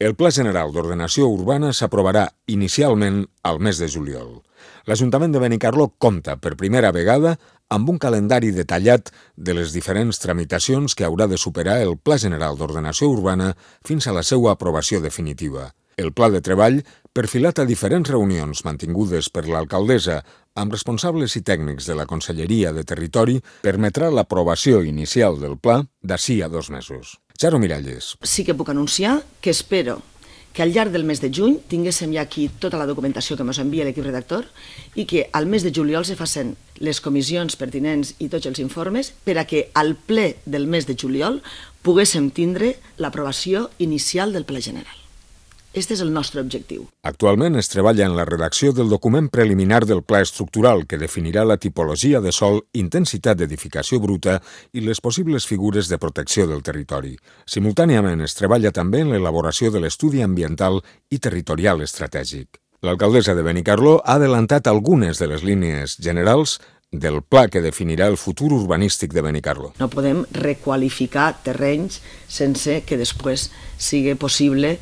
El Pla General d'Ordenació Urbana s'aprovarà inicialment al mes de juliol. L'Ajuntament de Benicarló compta per primera vegada amb un calendari detallat de les diferents tramitacions que haurà de superar el Pla General d'Ordenació Urbana fins a la seva aprovació definitiva. El pla de treball, perfilat a diferents reunions mantingudes per l'alcaldessa amb responsables i tècnics de la Conselleria de Territori, permetrà l'aprovació inicial del pla d'ací a 2 mesos. Charo Miralles. Sí que puc anunciar que espero que al llarg del mes de juny tinguéssim ja aquí tota la documentació que ens envia l'equip redactor i que al mes de juliol se facin les comissions pertinents i tots els informes per a que al ple del mes de juliol poguéssim tindre l'aprovació inicial del Pla General. Este és el nostre objectiu. Actualment es treballa en la redacció del document preliminar del pla estructural que definirà la tipologia de sòl, intensitat d'edificació bruta i les possibles figures de protecció del territori. Simultàniament es treballa també en l'elaboració de l'estudi ambiental i territorial estratègic. L'alcaldessa de Benicarló ha adelantat algunes de les línies generals del pla que definirà el futur urbanístic de Benicarló. No podem requalificar terrenys sense que després sigui possible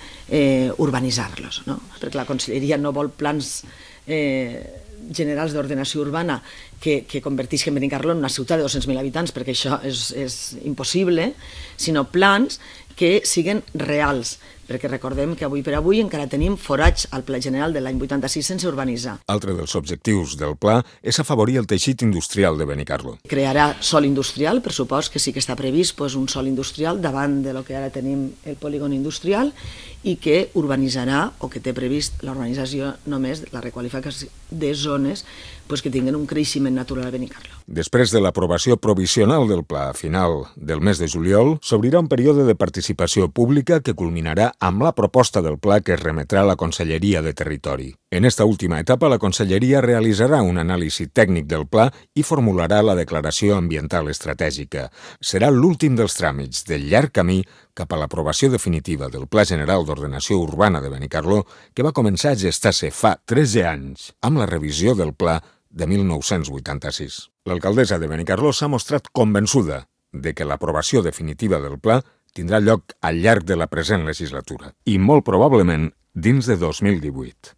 urbanitzar-los, no? Perquè la Conselleria no vol plans generals d'ordenació urbana que convertisquen Benicarló en una ciutat de 200.000 habitants, perquè això és impossible, sinó plans que siguen reals, perquè recordem que avui per avui encara tenim forats al Pla General de l'any 86 sense urbanitzar. Altre dels objectius del pla és afavorir el teixit industrial de Benicarló. Crearà sòl industrial, per supost que sí que està previst un sòl industrial davant de lo que ara tenim el polígon industrial i que urbanitzarà o que té previst la urbanització només, la requalificació de zones que tinguen un creixement natural a Benicarló. Després de l'aprovació provisional del pla a final del mes de juliol, s'obrirà un període de participació pública que culminarà amb la proposta del pla que es remetrà a la Conselleria de Territori. En esta última etapa, la Conselleria realitzarà un anàlisi tècnic del pla i formularà la declaració ambiental estratègica. Serà l'últim dels tràmits del llarg camí cap a l'aprovació definitiva del Pla General d'Ordenació Urbana de Benicarló, que va començar a gestar-se fa 13 anys amb la revisió del pla de 1986. L'alcaldessa de Benicarló s'ha mostrat convençuda de que l'aprovació definitiva del pla tindrà lloc al llarg de la present legislatura i molt probablement dins de 2018.